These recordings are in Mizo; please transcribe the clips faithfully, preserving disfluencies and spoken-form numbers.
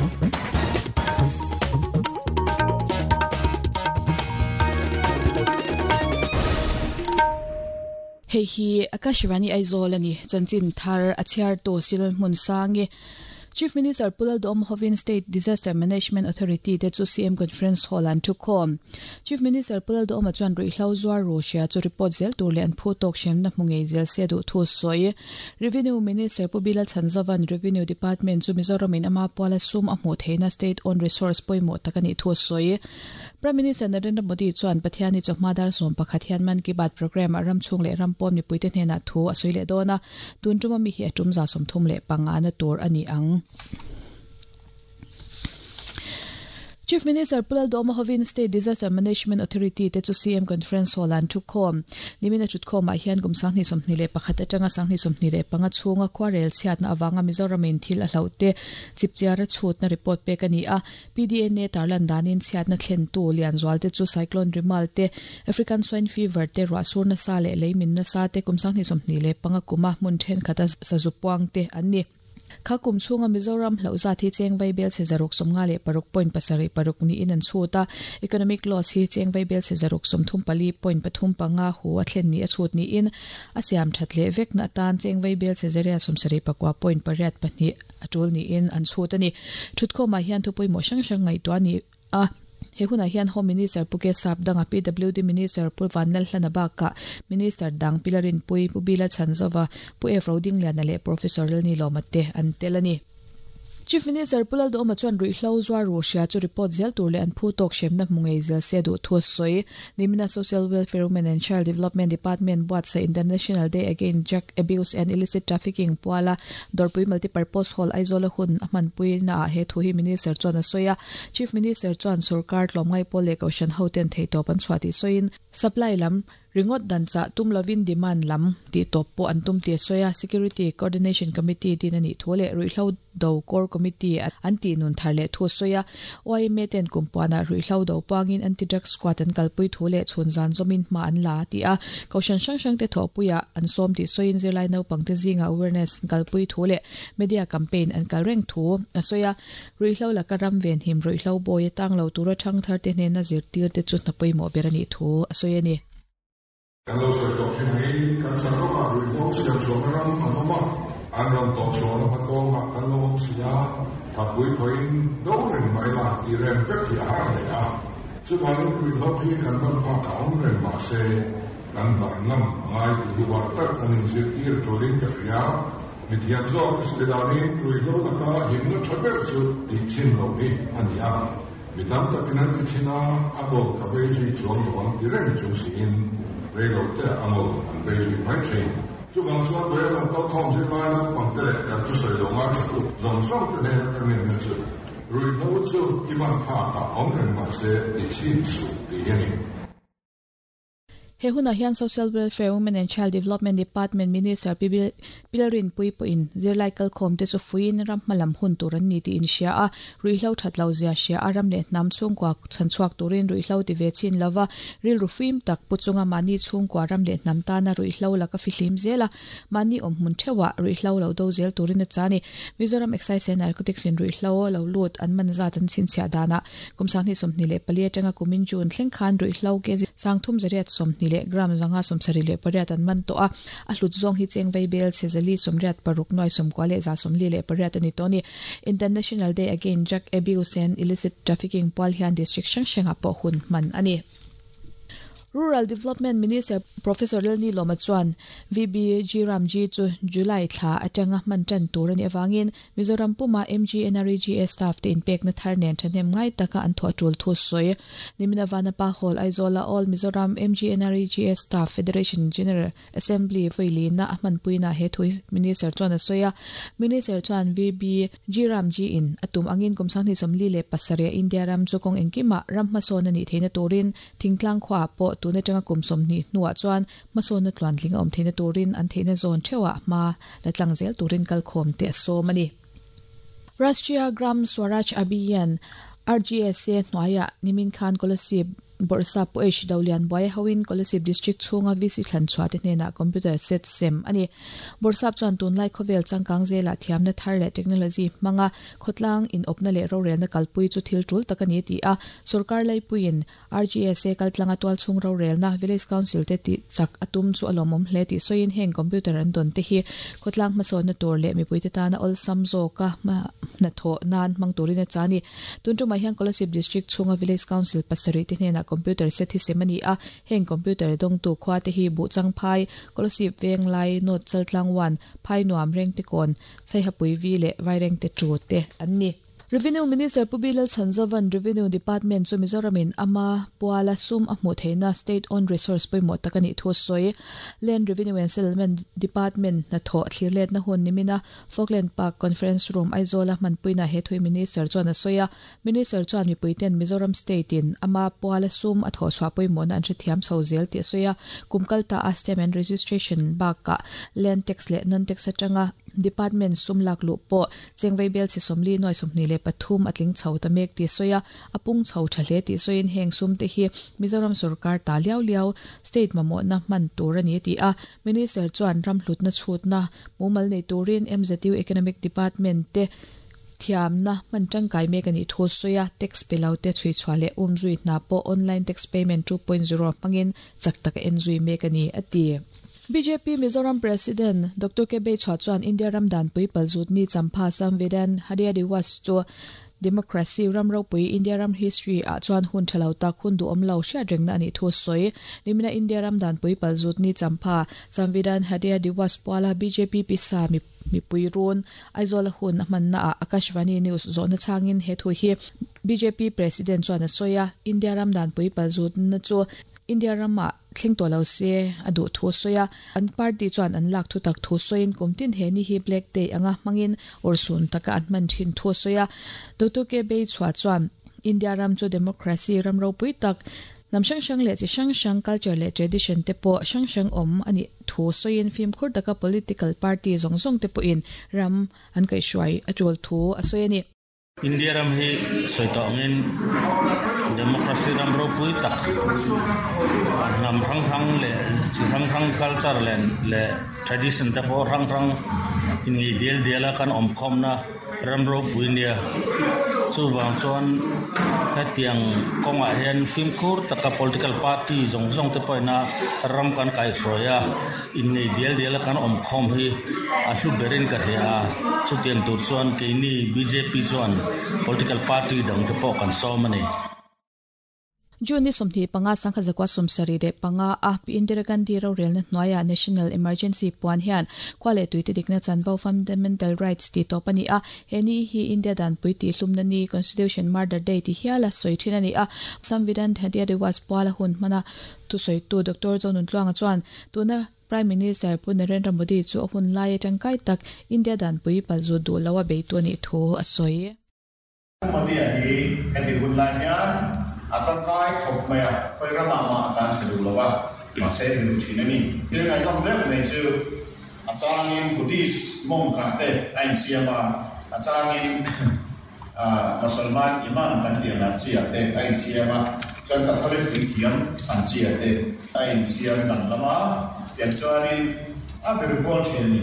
Hei hi Akashvani Aizawl ani chanchin thar a chhiar tu sil hmun sangi Chief Minister Pulal Dom Hovin State Disaster Management Authority te chu C M Conference Hall an thukhom. Chief Minister Pulal Dom chuan rui hlo zuar Russia chu report zel tur le an phu tok shem na hmungei zel se du thu soi. Revenue Minister Pubila Chanzavan Revenue Department chu Mizoram in ama pawla sum a hmu theina state owned resource poimo takani thu soi. Prime Minister Narendra Modi chuan Pathiani chawhma dar som pakhat hian Man Ki Baat program a ram chung le ram pawm ni puite hnena thu a soi le dona tun tuma mi hi atum za som thum le panga na tur ani ang. Chief Minister Pulal Doma Hovin State Disaster Management Authority te chu C M Conference Hall an thukhom nimina chutkhom a hian kum sangni somhni le pakhat atanga sangni somhni le panga chhunga khwarel chhiatna awanga Mizoram in thil a hlote chipchiara chhutna report pek ani a P D N A tarlan danin chhiatna thlen tu lian zual te chu cyclone Rimal te African swine fever te rasurna sa le leimin na sa te kum sangni somhni le panga kuma mun then khata sazupuang te anni. Kha kum chunga Mizoram hloza thi cheng vai bel che zaruk somnga le paruk point pasari paruk ni in an chuta economic loss hi cheng vai bel che zaruk somthum pali point pathum panga hu a thlen ni a chut ni in asiam thatle vek na tan cheng vai bel che zaria somsari pakwa point pariat pahni atul ni in an chuta ni thutko ma hian thupui mo sang sang ngai to ani a he huna hian Home Minister Puke Sap danga P W D Minister Pulvanel Hlanabaka Minister Dang Pilarin Pui Pubila Chanzova Pu F Roding Liana le Professor Lni Lomate an telani. Chief Minister Pulal Doma chuan rui hlo zuar Russia chu report zel tur le an phu tok shemna hmungei zel se du thu soi nimina Social Welfare Women and Child Development Department buat sa International Day Against Drug Abuse and Illicit Trafficking puala Dorpui Multipurpose Hall Aizawl hun man pui na he thu hi Minister chuan a soya Chief Minister chuan sarkar tlomngai pole koshan hoten theitop an chhuati soin supply lam ringot dancha tum lovin demand lam ti top po antum ti soya Security Coordination Committee tin ani thole ruihlo do core committee anti nun tharle thu soya O M A ten kumpuana ruihlo do pangin anti drug squad an kalpui thole chhunzan zomin ma an la ti a koshan sang sang te thopuya an som ti soin zirlai no pangte zinga awareness kalpui thole media campaign an kalreng thu soya ruihlo lakaram ven him ruihlo boy tang lo tura thang thar te hne na zir tir te chu napoi mo berani thu soya ni. Kan lo soi tok thin hi kan chan ro ma rui ho siam chuang ram an awm a an ram tawh chuan a hmatawng ah kan lo awm si a thatpui pawhin do reng mai la ti rem vek hi a har hle a chuvangin rui ho hi kan man phak a awm reng mah se kan dah ngam ngai ti hi war tak an inzir tir tulin ka hria mi thiam zawk ka danin rui ho laka himna tha ber chu ti chin lo hi ani a mi tam takin an ti china a bawk ka vei zui chuang lo ang ti reng chung siin rei te angol an vei zui mai thin chuvang chuan doi ang kal khawm zir lai na pang te leh kan chu sawi lo nga tha tu zawng zawng te hnena ka ngen na chu rui ho chu i van phak a awm reng mah se ti chin su ti hi ani. He huna hian Social Welfare Women and Child Development Department Minister Pilarin Pui poin zirlai kal khom te chu fuin ram hmalam hun tur an ni ti in hria a ruihlo thatlo zia hria a ram le hnam chhungkua chhanchhuak turin ruihlo ti ve chin lova rilru fim tak puchunga mani chhungkua ram le hnam tana ruihlo laka fihlim zela mani awm hmun thewa ruihlo lo do zel turin a chani Mizoram Excise and Narcotics in ruihlo lo lut an man zat an chhinchhiah dana kumsangni sawmhnih leh pali atanga kumin June thleng khan ruihlo ke sangthum zariat sawmhnih le gram zanga somsari le pariat an man to a a hlut zawng hi cheng vai bel chezali somriat paruk noi somkwa le za somli le pariat ani toni International Day Against Drug Abuse and Illicit Trafficking pal hian district hrang hranga pawh hun man ani. Rural Development Minister Professor Lni Loma chuan V B G Ramji chu July thla atanga man tan tur ani awangin Mizoram puma M G N R E G S staff te inpek na thar nen thanem ngai taka an tho tul thu soi nimina Vanapa Hall Aizawl All Mizoram M G N R E G S Staff Federation General Assembly voili na man puina he thui Minister chuan a soya Minister chuan V B G Ramji in atum angin kumsangni somli le pasare India ram chu kong engkima ram hmasawn ani theina turin thingtlang khwa po tuna tanga kumsom ni nuwa chuan hmasawn na tluan tling awm theina turin an theina zawn thewa hma la tlang zel turin kalkhawm te a sawm ani. Rashtriya Gram Swaraj Abhiyan R G S A hnuaiah nimin khan Kolasib Borsa po H Dawlian Boy Hawin Kolasib District chunga V C thlan chhuate hnena computer set sem ani Borsap chuan tunlai khovel changkang zela thiamna thar le technology manga khotlang in opna le rorel na kalpui chu thil tul takani ti a sarkar lai puin R G S A kaltlanga tual chung rorel na village council te ti chak atum chu alomom hle ti soin heng computer an don te hi khotlang mason na tur le mi puite ta na ol samzo ka ma na tho nan mang turina chani tuntu ma hian Kolasib District chunga village council pasari te hnena computer set hi semani a heng computer dong tu khwa te hi bu chang phai Kolasib veng lai not chaltlang one phai nuam reng te kon sai hapui vi le vaireng te chu te anni Revenue Minister Pubilal Sanjavan Revenue Department chu Mizoramin ama puala sum a hmu theina state owned resource poimo takani thu soi Land Revenue and Settlement Department na tho thlirlet na hun nimina Falkland Park Conference Room Aizola manpuina he thui Minister chuan a soya Minister chuan mi puiten Mizoram State in ama puala sum a tho chwa poimo na an thiam chho zel ti soya kumkalta a stamp and registration baka land tax le non tax atanga department sum lak lu po chengvei bel chi somli noi somni le pathum atling chho ta mek ti soya apung chho thale ti soin heng sum te hi Mizoram sarkar ta liao liao state mamo na man tur ani ti a minister chuan ram hlut na chhut na mumal nei turin M Z U Economic Department te thiam na man tangkai mek ani thu soya tax pelau te chui chwale umzui na po online tax payment two point zero mangin chak tak en zui mek ani ati B J P Mizoram President Doctor K B Chhuan India Ramdan pui paljut ni champha Samvidhan Hadia Diwas chu democracy ramro pui India ram history a chuan hun thalau tak hun du omlo hria rengna ani thu soi nimina India Ramdan pui paljut ni champha Samvidhan Hadia Diwas pala B J P pisa mi mi pui run Aizawl hun manna a Akashvani News zona changin he thu hi B J P President chuan a soya India Ramdan pui paljut na chu India rama thleng to lo se adu thu soya an party chuan an lak thu tak thu soin kumtin he ni hi black day anga mangin or sun taka an man thin thu soya Doctor K B chwa chuan India ram chu democracy ram ro pui tak nam sang sang le chi sang sang culture le tradition te po sang sang om ani thu soin film khur taka political party zong zong te po in ram an kai shuai atul thu asoyani India ram hi soitongin democracy ram ro pui tak nam rang rang le rang rang culture le le tradition te po rang rang in ngi del dela kan om khom na ram ro pui nia chu wang chuan hetiang konga hian fimkhur taka political party zong zong te poina ram kan kai hroya in nei del dela kan om khom hi a hlu berin ka thea chutiang tur chuan keini B J P chuan political party dang te pawh kan sawm ani June ni somthi panga sangkha zakwa somsari de panga a pi Indira Gandhi ro rel na hnuaia National Emergency puan hian kwale tuite dikna chanvo fundamental rights ti to pani a heni hi India dan pui ti hlumna ni Constitution Murder Day ti hiala soi thina ni a Samvidhan Hadia Diwas pala hun mana tu soi tu Doctor Zonun Tluanga chuan tuna Prime Minister Pu Narendra Modi chu hun lai tangkai tak India dan pui palzu du lawa beitu ani thu a soi Modi hi heti hun lai hian atangkai khop maya khoi rama ma tan se du lawa ma se du thina ni til ngai nom deuh nei chu achangin Buddhist mong khan te ain siama achangin a Musalman imam kan ti na chia te ain siama chuan Catholic ti thiam an chia te ain siam dan lama tiang chuanin a ber bol thin ni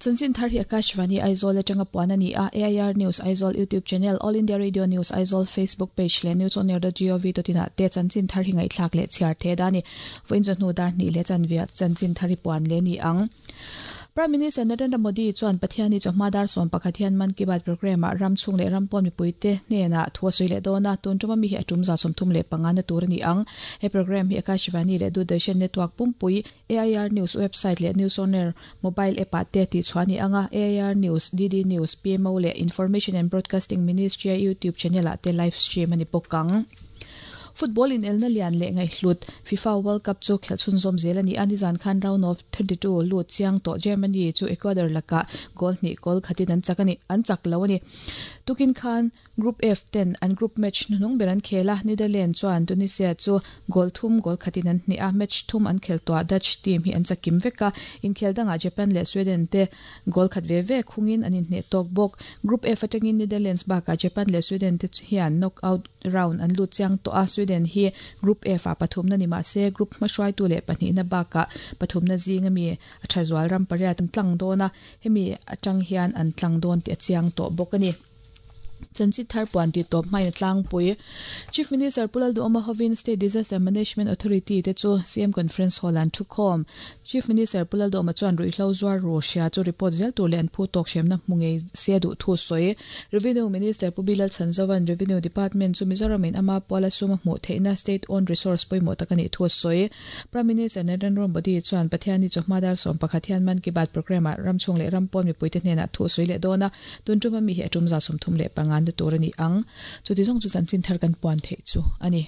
Chanchin thar hi Akashvani Aizawl atanga puan ani a A I R News Aizawl YouTube channel All India Radio News Aizawl Facebook page le news on air dot gov dot in te chanchin thar hi ngai thlak le chhiar the dani voin chu hnu dar ni le chanvia chanchin thar hi puan le ni ang Prime Minister Narendra Modi chuan Pathiani chawhma dar sawm pakhat hian Man Ki Baat program a ram chung leh ram pawn mipuite hnena thu a sawi leh dawn a tun tuma mi hi a tum za sawmthum leh panga na tur ani ang he program hi Akashvani leh Doordarshan Network pumpui A I R News website leh News on Air mobile app ah te ti chuani anga A I R News D D News P M O leh Information and Broadcasting Ministry YouTube channel ah te live stream ani bawk ang Football in Elna Lian le ngai hlut FIFA World Cup chu khelchun zom zel ani ani zan khan round of thirty-two lut chiang to Germany chu Ecuador laka goal ni goal khatin an chakani an chak lo ani tukin khan Group F ten an group match nung beran khela Netherlands chuan Tunisia chu goal thum goal khatin an ni a match thum an khel to Dutch team hi an chakim veka in khel danga Japan le Sweden te goal khat ve ve khungin an in hne tok bok Group F atangin Netherlands ba ka Japan le Sweden te hian knockout round an lut chiang to a Sweden Sweden hi Group F a pathum na ni ma se group hmahruai tu leh pahnih na bakah pathum na zing ami a tha zual ram pariat an tlang dawn a hemi atang hian an tlang dawn tih a chiang tawh bawk a ni. Chanchit thar puan ti tawp hmain a tlangpui. Chief Minister Pu Lalduhoma hovin State Disaster Management Authority te chu C M Conference Hall an thukhawm. Chief Minister Pu Lalduhoma chuan ruihhlo zuar ru hria chu report zel tur leh an phu tawk hremna hmu ngei se duh thu sawi. Revenue Minister Pu Bilal Chhanzovan Revenue Department chu Mizoramin ama puala suma hmuh theihna state owned resource pawimawh tak a nih thu sawi. Prime Minister Narendra Modi chuan Pathianni chawhma dar sawm pakhat hian Mann Ki Baat programme ah ramchhung leh rampawn mipuite hnenah thu sawi leh dawn a, tun tuma mi hi a tum za sawmthum leh panga na tur a ni ang. Chuti zawng chu chanchin thar kan puan theih chu a ni.